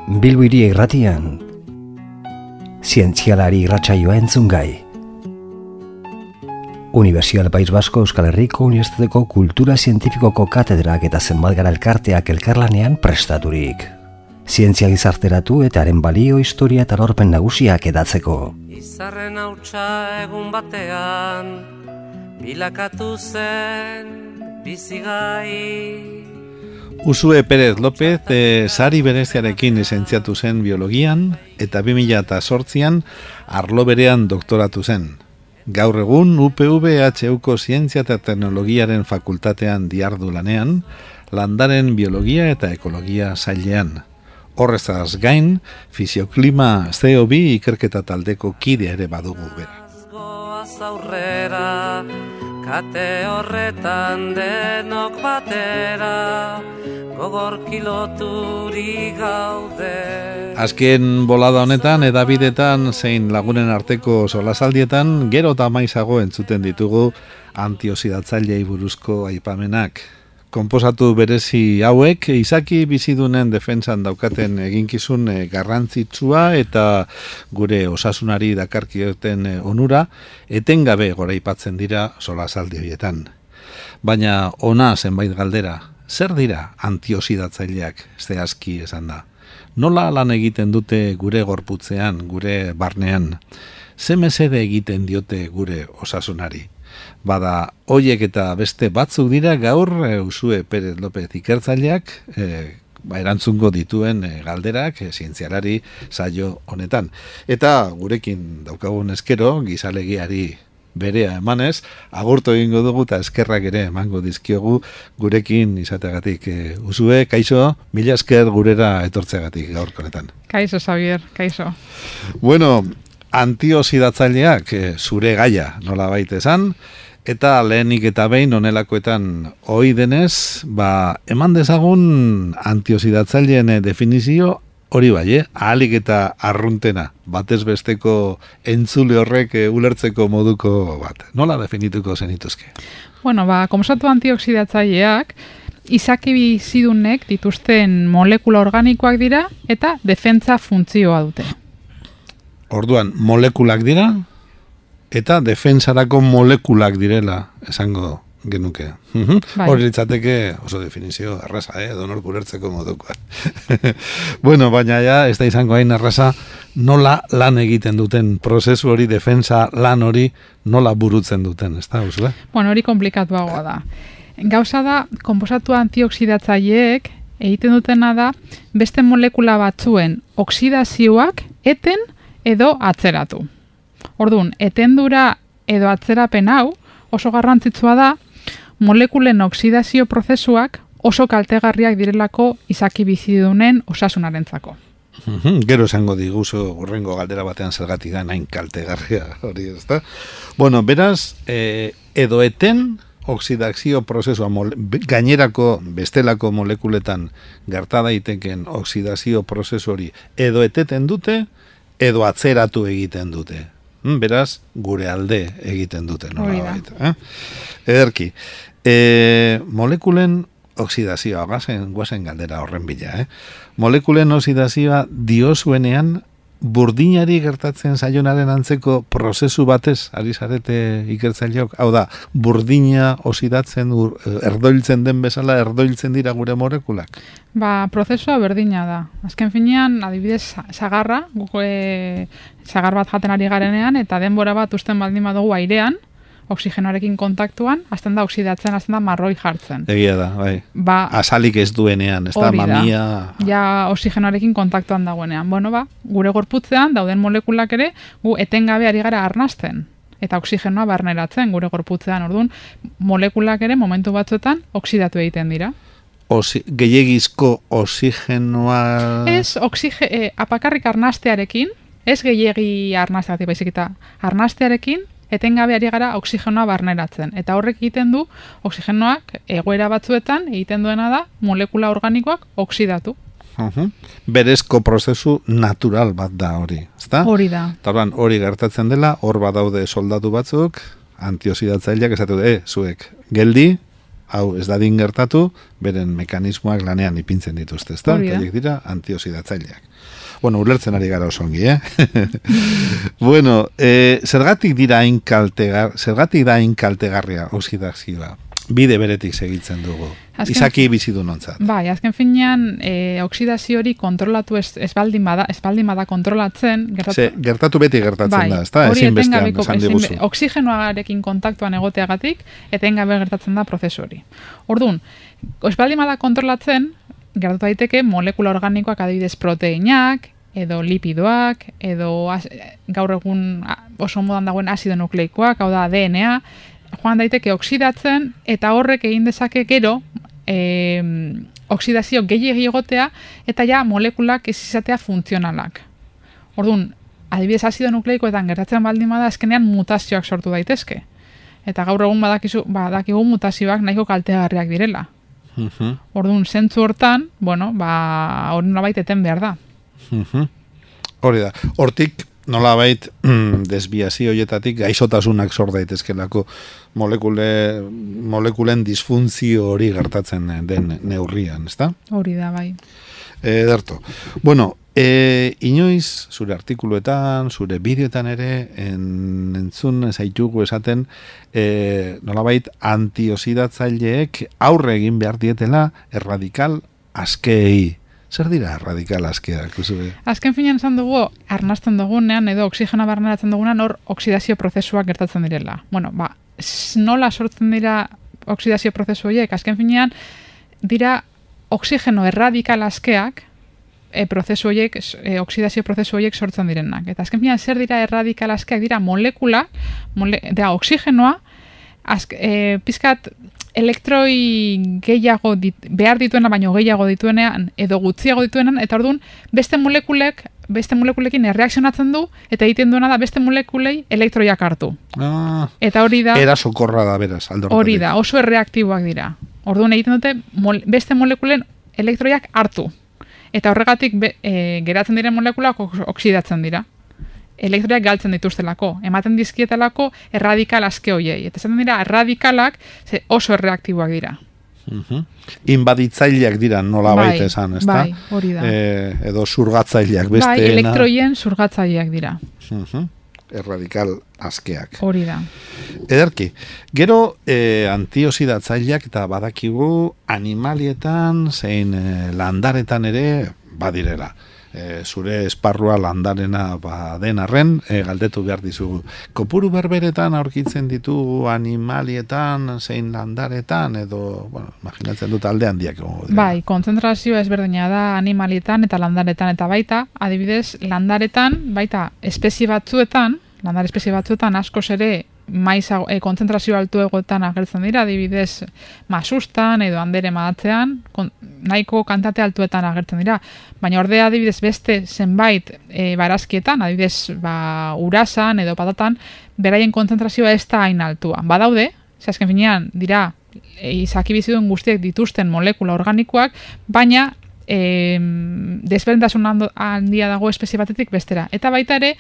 Bilbo Hiri Irratian, zientzialari irratsaioa entzungai. Unibertsitate País Basko Euskal Herriko Unibertsitateko Kultura Zientifikoko katedrak eta zenbat gara elkarteak elkarlanean prestaturik. Zientzia gizarteratu eta haren balio, historia eta lorpen nagusiak edatzeko. Izarren hautsa egun batean, bilakatu zen bizigai. Usue Pérez López sari bereziarekin lizentziatu zen biologian eta 2008an arlo berean doktoratu zen. Gaur egun UPV-HUko Zientzia eta Teknologiaren fakultatean diardu lanean, landaren biologia eta ekologia sailean. Horrezaz gain, fisioklima CO2 ikerketa taldeko kide ere badugu bera. Aurrera, kate horretan denok batera, gogor kiloturi gaude. Azken bolada honetan, edabidetan, zein lagunen arteko solasaldietan, gero eta maizago entzuten ditugu antioxidatzailei buruzko aipamenak. Konposatu berezi hauek, izaki bizidunen defentsan daukaten eginkizun garrantzitsua eta gure osasunari dakarkioten onura, etengabe goraipatzen dira solasaldi horietan. Baina ona zenbait galdera, zer dira antioxidatzaileak, zehazki esan da? Nola lan egiten dute gure gorputzean, gure barnean? Ze mesede egiten diote gure osasunari? Bada, hoiek eta beste batzuk dira gaur Usue Pérez López ikertzaileak erantzungo dituen galderak zientzialari saio honetan. Eta gurekin daukagun eskero, gizalegiari berea emanez, agurtu egingo dugu eta eskerrak ere emango dizkiogu gurekin izateagatik. Usue, kaixo, mila esker gurera etortzeagatik gaurko honetan. Kaixo, Xavier, kaixo. Bueno, antioxidatzaileak zure gaia nola baita esan, eta lehenik eta behin honelakoetan ohi denez, eman dezagun antioxidatzaileen definizio hori bai, ahalik eta arruntena, batez besteko entzule horrek ulertzeko moduko bat. Nola definituko zenituzke? Bueno, komposatu antioxidatzaileak izaki bizidunek dituzten molekula organikoak dira eta defentsa funtzioa dute. Orduan, molekulak dira eta defensarako molekulak direla esango genuke. Hori litzateke oso definizio erraza, donor ulertzeko modukoa. Bueno, baina ja, ez da izango hain erraza, nola lan egiten duten prozesu hori, defensa lan hori, nola burutzen duten, ez da, Usue? Bueno, hori komplikatuagoa da. Gauza da, konposatu antioxidatzaileek egiten dutena da, beste molekula batzuen oksidazioak eten edo atzeratu. Orduan, etendura edo atzerapen hau oso garrantzitsua da, molekulen oksidazio prozesuak oso kaltegarriak direlako izaki bizidunen osasunarentzako. Gero esango diguzu hurrengo galdera batean zergatik da hain kaltegarria hori, ezta? Bueno, beraz, edo eten oksidazio prozesua gainerako bestelako molekuletan gerta daiteken oksidazio prozesu hori edo eteten dute edo atzeratu egiten dute. Beraz, gure alde egiten dute. Ederki. Molekulen oksidazioa, guazen galdera horren bila. Molekulen oksidazioa diozuenean burdinari gertatzen zaionaren antzeko prozesu batez ari zarete ikertzaileok. Hau da, burdina oxidatzen, erdoiltzen den bezala erdoiltzen dira gure molekulak? Prozesua berdina da. Azken finean, adibidez, sagarra, sagar bat jaten ari garenean, eta denbora bat usten baldin badugu airean, oksigenoarekin kontaktuan, azten da oxidatzen, azten da marroi jartzen. Egia da, bai. Azalik ez duenean, ez da, mamia... Ja, oksigenoarekin kontaktuan dagoenean. Bueno, gure gorputzean, dauden molekulak ere, gu etengabe ari gara arnasten. Eta oksigenoa barneratzen gure gorputzean. Orduan, molekulak ere, momentu batzuetan, oksidatu egiten dira. Gehiegizko oksigenoa... Ez, apakarrik arnastearekin, ez gehiegi arnasteatik, baizik eta arnastearekin, etengabe ari gara oksigenoa barneratzen. Eta horrek egiten du, oksigenoak egoera batzuetan egiten duena da molekula organikoak oksidatu. Berezko prozesu natural bat da hori, ezta? Hori da. Hori gertatzen dela, hor badaude soldatu batzuk, antioxidatzaileak esatu, zuek, geldi, hau ez dadin gertatu, beren mekanismoak lanean ipintzen dituzte, ezta? Hori da. Horiek dira antioxidatzaileak. Bueno, ulertzen ari gara oso ongi, Bueno, zergatik da hain kaltegarria oksidazioa? Bide beretik segitzen dugu. Izaki bizidunontzat. Bai, azken finean oksidazio hori kontrolatu ez baldin bada kontrolatzen, gertatu beti gertatzen da, ezta? Ezinbestean esan diguzu. Oxigenoarekin kontaktuan egoteagatik etengabe gertatzen da prozesu hori. Orduan, ez baldin bada kontrolatzen, gertatu daiteke molekula organikoak, adibidez proteinak, edo lipidoak, edo gaur egun oso modan dagoen azido nukleikoak, hau da DNA, joan daiteke oksidatzen, eta horrek egin dezake gero oksidazio gehiegi egotea, eta ja molekulak ez izatea funtzionalak. Orduan, adibidez azido nukleikoetan gertatzen baldin bada, azkenean mutazioak sortu daitezke. Eta gaur egun badakigu mutazioak nahiko kaltegarriak direla. Orduan, zentzu hortan, hori nolabait eten behar da. Hori da. Hortik, nolabait desbiazio horietatik gaixotasunak sor daitezkelako molekulen disfuntzio hori gertatzen den neurrian, ezta? Hori da, bai. Ederto. Bueno, inoiz, zure artikuluetan, zure bideoetan ere, entzun zaitugu esaten, nolabait antioxidatzaileek aurre egin behar dietela erradikal askei. Zer dira erradikal askeak? Azken finean esan dugu, arnasten dugunean, edo oksigena barneratzen dugunean, hor oksidazio prozesuak gertatzen direla. Nola sortzen dira oksidazio prozesu horiek? Azken finean, dira oksigeno erradikal askeak, prozesu horiek, oksidazio prozesu horiek sortzen direnak. Eta azken finean, zer dira erradikal askeak? Dira molekula, oksigenoa, pizkat elektroi gehiago behar dituena, baino gehiago dituenean, edo gutxiago dituenean, eta orduan beste molekulekin erreakzionatzen du, eta egiten duena da beste molekulei elektroiak hartu. Eta hori da... Erasokorra da, beraz, aldortatik. Hori da, oso erreaktiboak dira. Orduan egiten dute beste molekulen elektroiak hartu. Eta horregatik geratzen diren molekulak oksidatzen dira. Elektroiak galtzen dituztelako, ematen dizkietelako erradikal aske hoiei. Eta zaten dira, erradikalak oso erreaktiboak dira. Inbaditzaileak dira nola baita esan, ezta? Bai, hori da. Edo zurgatzaileak besteena. Bai, elektroien zurgatzaileak dira. Erradikal askeak. Hori da. Ederki, gero antioxidatzaileak eta badakigu animalietan zein landaretan ere badirela. Zure esparrua landarena den arren, galdetu behar dizugu. Kopuru berberetan aurkitzen ditugu animalietan, zein landaretan, edo, imaginatzen dut alde handiak. Bai, kontzentrazioa ezberdina da animalietan eta landaretan, eta baita, adibidez, landaretan, baita, landare espezie batzuetan askoz ere kontzentrazio altu egoetan agertzen dira, adibidez masustan edo andere madatzean, nahiko kantate altuetan agertzen dira. Baina ordea adibidez beste zenbait barazkietan, adibidez urasan edo patatan, beraien kontzentrazioa ez da hain altua. Badaude, azken finean dira izaki bizidun guztiek dituzten molekula organikoak, baina desberdintasun handia dago espezie batetik bestera. Eta baita ere,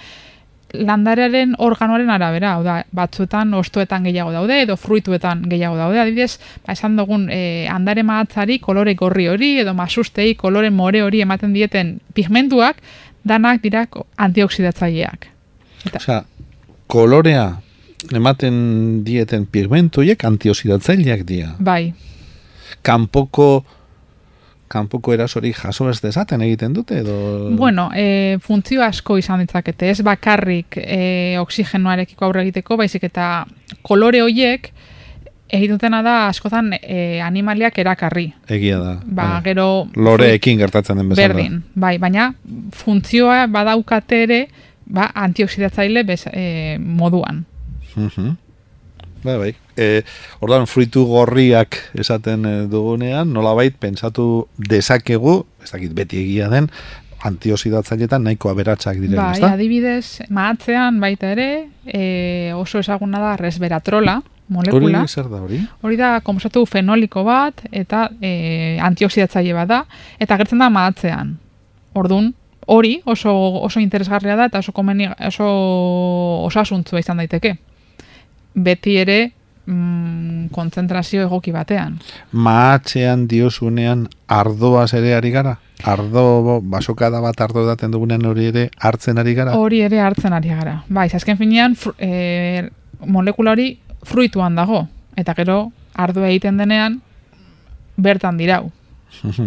landarearen organoaren arabera, hau da, batzuetan ostoetan gehiago daude, edo fruituetan gehiago daude, adibidez, esan dugun andare mahatzari kolore gorri hori, edo masustei kolore more hori ematen dieten pigmentuak, danak dira antioxidatzaileak. Osea, kolorea ematen dieten pigmentuiek antioxidatzaileak dira. Bai. Kanpoko erasori jaso ez dezaten egiten dute edo... Funtzio asko izan ditzakete, ez bakarrik oksigenoarekiko aurre egiteko, baizik eta kolore horiek egitutena da askotan animaliak erakarri. Egia da. Gero... Loreekin gertatzen den bezala. Berdin, bai, baina funtzioa badaukate ere antioxidatzaile moduan. Bai. Ordan fruitu gorriak esaten dugunean, nolabait pentsatu dezakegu, ez dakit beti egia den, antioxidatzailetan nahiko aberatsak diren, ezta? Bai, adibidez, mahatzean baita ere, oso ezaguna da resveratrola molekula. Hori zer da hori? Hori da konposatu fenoliko bat eta antioxidatzaile bat da, eta gertzen da mahatzean. Ordun hori oso interesgarria da eta oso osasuntsua izan daiteke. Beti ere kontzentrazio egoki batean. Mahatzean diozunean ardoaz ere ari gara? Ardo, basokada bat ardo daten dugunean hori ere hartzen ari gara? Hori ere hartzen ari gara. Bai, azken finean molekula hori fruituan dago. Eta gero ardoa egiten denean bertan dirau.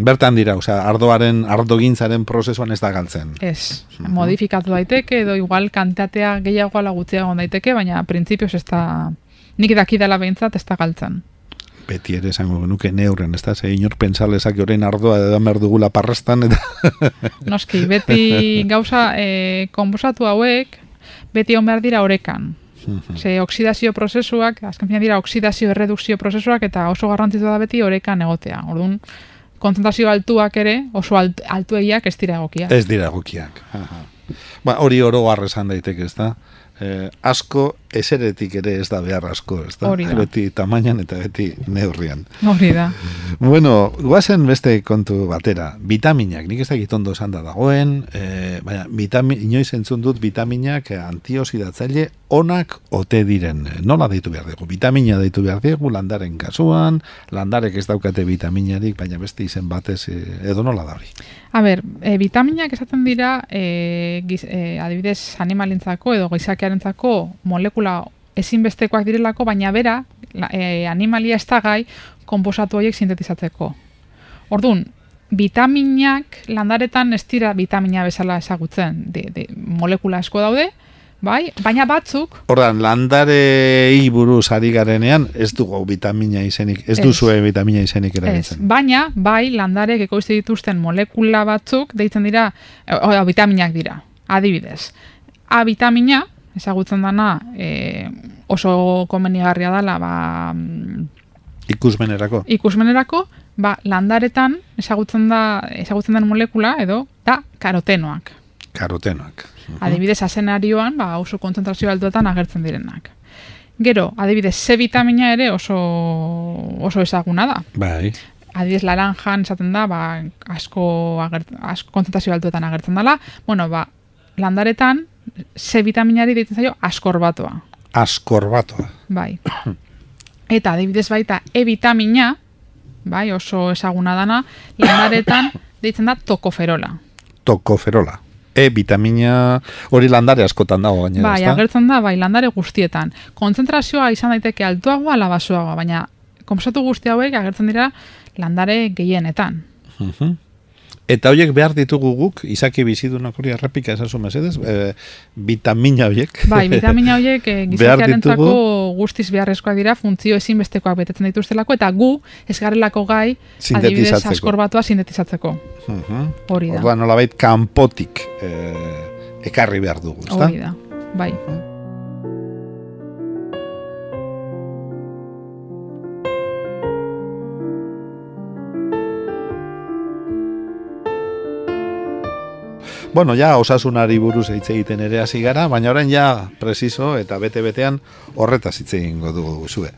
Bertan dira, osea, ardogintzaren prozesuan ez da galtzen. Ez, modifikatu daiteke, edo igual kantitatea gehiago ala gutxiago daiteke, baina printzipioz ez da, nik dakidala behintzat ez da galtzen. Beti ere esango genuke neurren, ez da, ze inor pensalezak orain ardoa edan behar dugula parrastan, eta... Noski, beti gauza konposatu hauek, beti on behar dira orekan. Ze oksidazio prozesuak, azken fina dira oksidazio erredukzio prozesuak, eta oso garrantzitu da beti orekan egotea. Orduan, kontzentrazio altuak ere, oso altuegiak ez dira egokiak. Ez dira egokiak. Hori oro esan daiteke, ez da? Asko eseretik ere ez da behar asko, ez da? Hori da. Beti tamainan eta beti neurrian. Hori da. Bueno, guazen beste kontu batera. Vitaminak, nik ez dakit ondo esan da dagoen, baina inoiz entzun dut vitaminak antioxidatzaile onak ote diren. Nola deitu behar dugu? Vitamina deitu behar dugu, landaren kasuan, landarek ez daukate vitaminarik, baina beste izen batez edo nola da hori? A ber, vitaminak esaten dira, adibidez animalentzako edo gizakiarentzako molekula ezinbestekoak direlako, baina bera, animalia ez da gai konposatu horiek sintetizatzeko. Orduan, vitaminak landaretan ez dira vitamina bezala ezagutzen, molekula asko daude, bai, baina batzuk... Ordan, landarei buruz ari garenean, ez dugu vitamina izenik, ez duzue vitamina izenik erabiltzen. Baina, bai, landarek ekoizte dituzten molekula batzuk, deitzen dira, vitaminak dira, adibidez. A vitamina, ezagutzen dana, oso komenigarria dela, Ikusmenerako, landaretan ezagutzen den molekula, edo, da karotenoak. Karotenoak. Adibidez, azenarioan, oso kontzentrazio altuetan agertzen direnak. Gero, adibidez, C vitamina ere oso ezaguna da. Bai. Adibidez, laranjan esaten da, asko kontzentrazio altuetan agertzen dela. Bueno, landaretan, C vitaminari deitzen zaio askorbatoa. Askorbatoa. Bai. Eta adibidez baita E vitamina, bai, oso ezaguna dana, landaretan deitzen da tokoferola. Tokoferola. E vitamina hori landare askotan dago gainera, bai, ezta? Agertzen da, landare guztietan. Kontzentrazioa izan daiteke altuagoa ala baxuagoa, baina konposatu guzti hauek agertzen dira landare gehienetan. Eta horiek behar ditugu guk, izaki bizidunak hori errepika esazu mesedez, vitamina horiek. Bai, vitamina horiek gizakiarentzako guztiz beharrezkoak dira, funtzio ezinbestekoak betetzen dituztelako, eta gu ez garelako gai adibidez askorbatoa sintetizatzeko. Hori da. Orduan nolabait kanpotik ekarri behar dugu, ezta? Hori da, bai. Bueno, ja osasunari buruz hitz egiten ere hasi gara, baina orain ja preciso eta bete-betean horretaz hitz egingo dugu zue.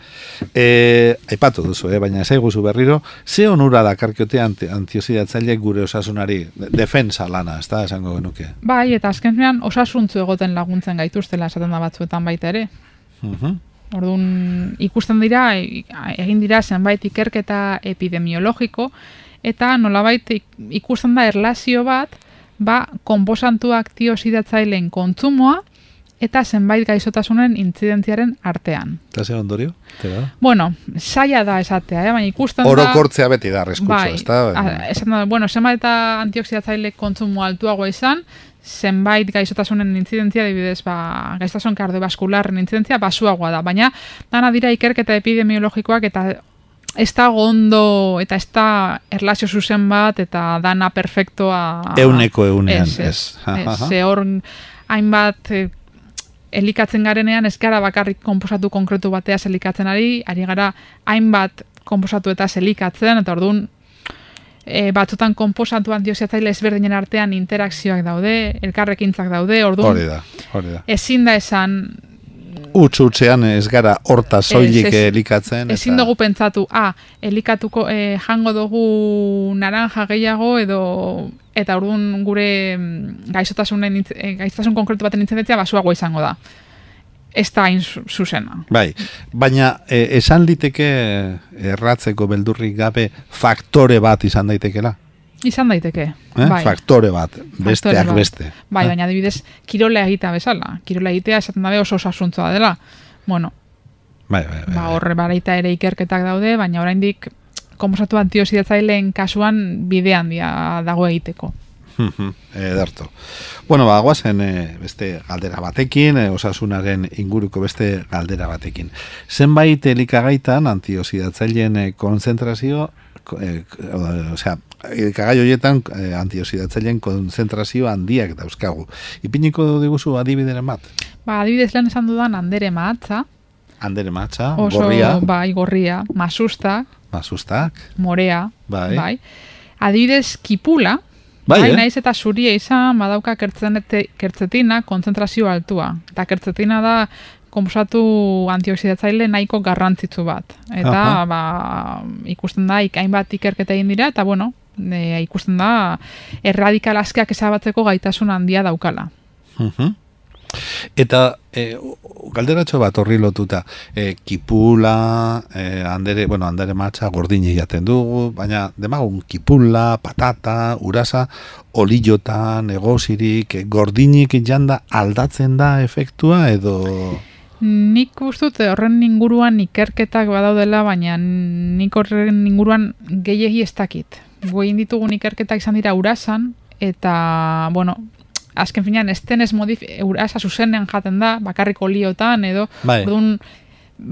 Aipatu duzu, baina esaiguzu berriro, ze onura dakarkiote antioxidatzaile gure osasunari, defensa lana, ez da, esango genuke? Bai, eta azkenean osasuntzu egoten laguntzen gaituztela esaten da batzuetan baita ere. Orduan, ikusten dira, egin dira zenbait ikerketa epidemiologiko, eta nolabait ikusten da erlazio bat, konposantu antioxidatzaileen kontsumoa eta zenbait gaixotasunen intzidentziaren artean. Eta ze ondorio? Bueno, saia da esatea, baina ikusten da... Orokortzea beti da arriskutsu, ez da? Bueno, zenbait eta antioxidatzaile kontsumo altuagoa izan, zenbait gaixotasunen intzidentzia, adibidez, gaixotasun kardiobaskularren intzidentzia basuagoa da, baina dana dira ikerketa epidemiologikoak eta ez da gondo eta ez da erlazio zuzen bat eta dana perfektoa... Euneko eunean, ez. Ze hor hainbat elikatzen garenean ez gara bakarrik konposatu konkretu bateaz elikatzen ari gara hainbat konposatu eta elikatzen, eta orduan batzutan konposatu antioxidatzaile ezberdinen artean interakzioak daude, elkarrekintzak daude, orduan hori da. Ezin da esan... Utsu-utsean ez gara horta soilik elikatzen. Ezin dugu pentsatu, elikatuko jango dugu naranja gehiago eta orduan gure gaixotasun konkretu baten intzidentzia basuago izango da. ez da hain zuzena. Bai, baina esan liteke erratzeko beldurrik gabe faktore bat izan daitekela? Izan daiteke. Bai. Faktore bat, besteak beste. Bai, baina adibidez, kirola egitea bezala. Kirola egitea esaten dabe oso osasuntzua dela. Bueno, bai. Horre baita ere ikerketak daude, baina oraindik konposatu antioxidatzaileen kasuan bidean dago egiteko. Ederto. Bueno, guazen beste galdera batekin, osasunaren inguruko beste galdera batekin. Zenbait elikagaitan antioxidatzaileen konzentrazio, elikagai horietan antioxidatzaileen konzentrazio handiak dauzkagu. Ipiniko diguzu adibideren bat? Adibidez lehen esan dudan andere mahatza. Andere mahatza, gorria. Bai, gorria, masustak, morea, bai. Adibidez kipula, bai, naiz eta zuria izan, badauka kertzetina konzentrazio altua. Eta kertzetina da konposatu antioxidatzaile nahiko garrantzitsu bat. Eta ikusten da, hainbat ikerketa egin dira, eta bueno, ikusten da erradikal askeak ezabatzeko gaitasun handia daukala. Eta galderatxo bat horri lotuta, kipula, andere matxa gordini jaten dugu, baina demagun kipula, patata, urasa, olillotan, egozirik, gordinik janda aldatzen da efektua edo... Nik ustut horren inguruan ikerketak badaudela, baina nik horren inguruan gehiegi ez dakit. Goin ditugun ikerketak izan dira urasan, eta, bueno, azken finean, estenez urasa zuzenean jaten da, bakarrik oliotan, edo, orduan,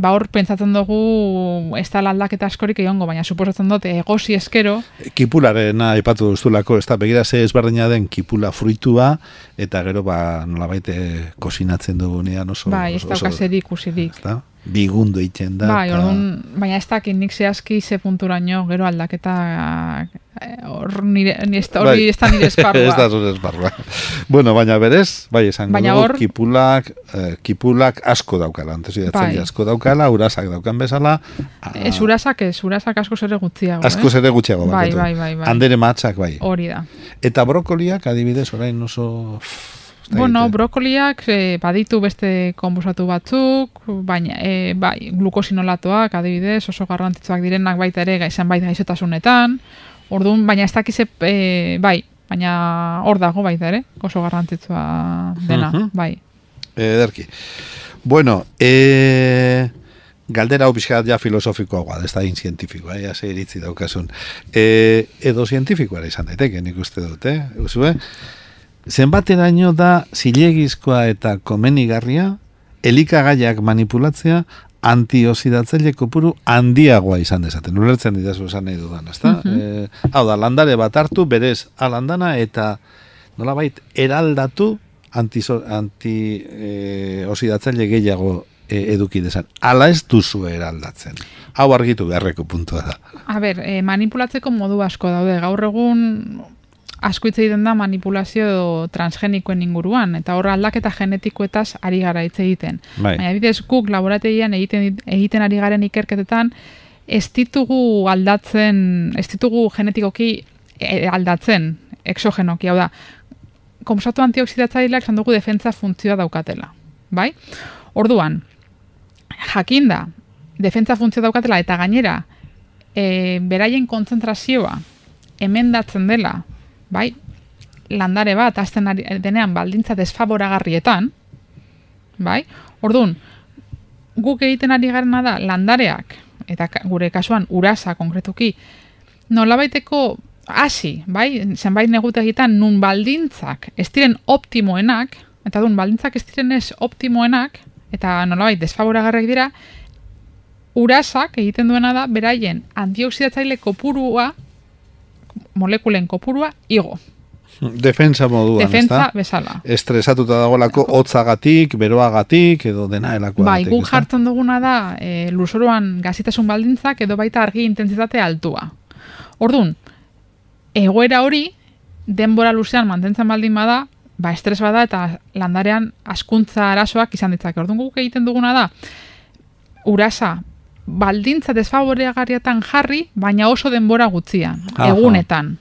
hor pentsatzen dugu ez da aldaketa askorik egongo, baina suposatzen dut egozi eskero. Kipularena aipatu duzulako, ez da begira ze ezberdina den kipula fruitua, eta gero nolabait kozinatzen dugunean oso... Bai, ez dauka zer ikusirik. Bigundo egiten da. Bai, orduan, baina ez dakit nik zehazki ze punturaino gero aldaketa hori ez da nire esparrua. Ez da zure esparrua. Bueno, baina berez, bai, esango dugu, kipulak asko daukala, antioxidatzaile asko daukala, urasak daukan bezala. Ez urasak asko zere gutxiago. Asko zere gutxiago. Bai. Andere matxak, bai. Hori da. Eta brokoliak, adibidez, orain oso... Bueno, brokoliak baditu beste konposatu batzuk, baina bai, glukosinolatoak adibidez oso garrantzitsuak direnak baita ere zenbait gaixotasunetan. Orduan, baina ez dakiz bai, baina hor dago baita ere, oso garrantzitsua dena, bai. Ederki. Bueno, galdera hau pixkat ja filosofikoa, ez da zientifikoa, ja ze iritzi daukasun. Edo zientifikoa izan daiteke, nik uste dut, zenbateraino da zilegizkoa eta komenigarria elikagaiak manipulatzea antioxidatzaile kopuru handiagoa izan dezaten. Ulertzen didazu esan nahi dudan, ezta? Hau da, landare bat hartu, berez alandana eta nolabait eraldatu antioxidatzaile gehiago eduki dezan. Ala ez duzu eraldatzen. Hau argitu beharreko puntua da. A ber, manipulatzeko modu asko daude. Gaur egun asko hitz egiten da manipulazio transgenikoen inguruan, eta horra aldaketa genetikoetaz ari gara hitz egiten. Baina bidez guk laborategian egiten ari garen ikerketetan ez ditugu aldatzen, ez ditugu genetikoki aldatzen, exogenoki, hau da, konposatu antioxidatzaileak esan dugu defentsa funtzioa daukatela. Bai? Orduan, jakinda, defentsa funtzioa daukatela eta gainera, beraien kontzentrazioa emendatzen dela, bai, landare bat azten denean baldintza desfavoragarrietan, bai, orduan, guk egiten ari garena da landareak, eta gure kasuan urasa konkretuki, nolabaiteko hasi, bai, zenbait negutegitan nun baldintzak ez diren optimoenak, eta dun baldintzak ez diren ez optimoenak, eta nolabait desfavoragarriak dira, urasak egiten duena da beraien antioxidatzaile kopurua, molekulen kopurua igo. Defensa moduan, defensa bezala. Estresatuta dagoelako hotzagatik, beroagatik, edo dena elakoagatik. Bai, guk jartzen duguna da lurzoruan gazitasun baldintzak edo baita argi intentsitate altua. Orduan, egoera hori denbora luzean mantentzen baldin bada, ba estres bada eta landarean hazkuntza arazoak izan ditzake. Orduan guk egiten duguna da urasa baldintza desfavoregarrietan jarri, baina oso denbora gutxian, egunetan.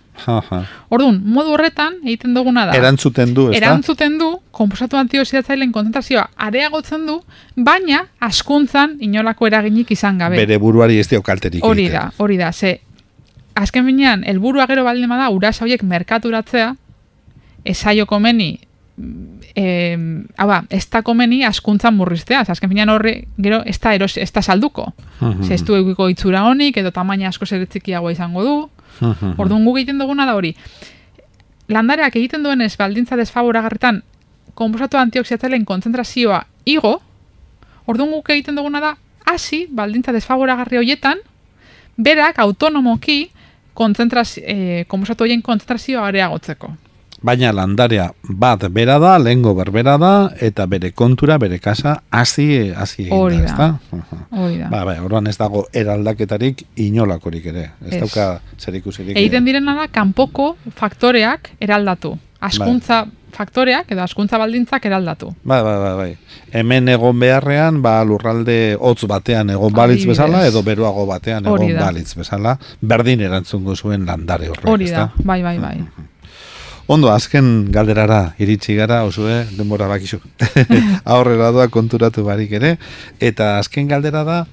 Orduan, modu horretan egiten duguna da. Erantzuten du, ezta? Erantzuten du, konposatu antioxidatzaileen konzentrazioa areagotzen du, baina askuntzan inolako eraginik izan gabe. Bere buruari ez dio kalterik egiten. Hori da, ze azken finean, helburua gero baldin bada urasa horiek merkaturatzea, esaio komeni, ez da komeni askuntzan murriztea, azken finean horre gero ez da salduko. Ze ez du egiko itzura honik, edo tamaina asko zer txikiagoa izango du. Orduan guk egiten duguna da hori. Landareak egiten duenez baldintza desfavoragarritan konposatu antioxidatzaileen kontzentrazioa igo, orduan guk egiten duguna da hasi baldintza desfavoragarri horietan berak autonomoki konposatu horien kontzentrazioa areagotzeko. Baina landarea bat bera da, lehengo berbera da, eta bere kontura, bere kasa, hasi egin da, Hori da. Orduan ez dago eraldaketarik inolakorik ere. Ez dauka zerikusirik. Egiten direna da, kanpoko faktoreak eraldatu. Askuntza faktoreak edo askuntza baldintzak eraldatu. Bai. Hemen egon beharrean, lurralde hotz batean egon balitz bezala, edo beruago batean egon balitz bezala, berdin erantzungo zuen landare horrek. Hori da, bai. Ondo, azken galderara iritsi gara, osue, denbora bakizu. Aurrera doa konturatu barik ere. Eta azken galdera da,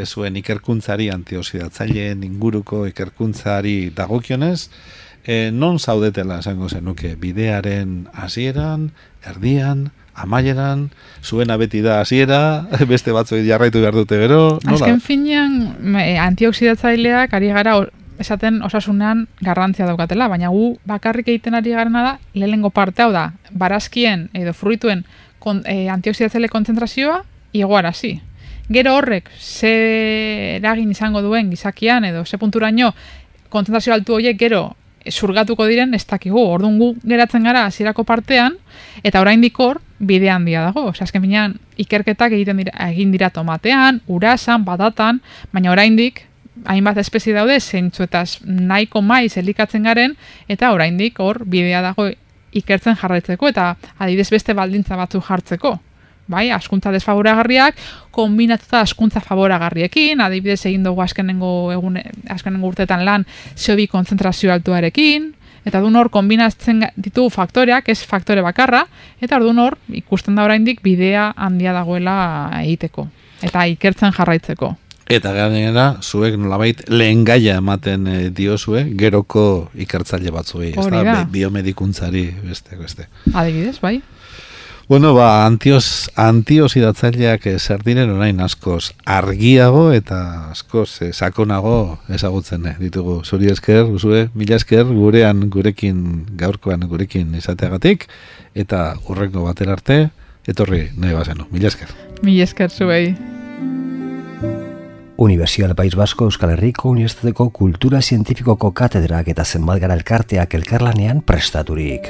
zuen ikerkuntzari, antioxidatzaileen inguruko ikerkuntzari dagokionez, non zaudetela esango zenuke, bidearen hasieran, erdian, amaieran, zuena beti da hasiera, beste batzuk jarraitu behar dute gero. Azken finean, antioxidatzaileak ari gara esaten osasunean garrantzia daukatela, baina gu bakarrik egiten ari garena da, lehenengo parte hau da, barazkien edo fruituen antioxidatzaile kontzentrazioa igoarazi. Gero horrek, ze eragin izango duen gizakian edo ze punturaino kontzentrazio altu horiek gero zurgatuko diren ez dakigu. Orduan gu geratzen gara hasierako partean, eta oraindik hor bide handia dago. Azken finean ikerketak egin dira tomatean, urasan, batatan, baina oraindik hainbat espezie daude, zeintzuetaz nahiko maiz elikatzen garen, eta oraindik hor bidea dago ikertzen jarraitzeko, eta adibidez beste baldintza batzuk jartzeko. Bai, askuntza desfavoragarriak, kombinatuta askuntza favoragarriekin, adibidez egin dugu azkenengo urteetan lan CO2 konzentrazio altuarekin, eta orduan hor kombinatzen ditugu faktoreak, ez faktore bakarra, eta orduan hor ikusten da oraindik bidea handia dagoela egiteko, eta ikertzen jarraitzeko. Eta gainera, zuek nolabait lehen gaia ematen diozue, geroko ikertzaile batzuei, ez da, biomedikuntzari beste. Adibidez, bai. Bueno, antioxidatzaileak zer diren orain askoz argiago eta askoz sakonago ezagutzen ditugu. Zuri esker, mila esker gaurkoan gurekin izateagatik, eta hurrengo batera arte, etorri nahi bazenu. Mila esker. Mila esker zuei. Universidad País Vasco Euskal Herriko Unibertsitateko Kultura Zientifikoko katedrak eta zenbat gara elkarteak elkarlanean prestaturik.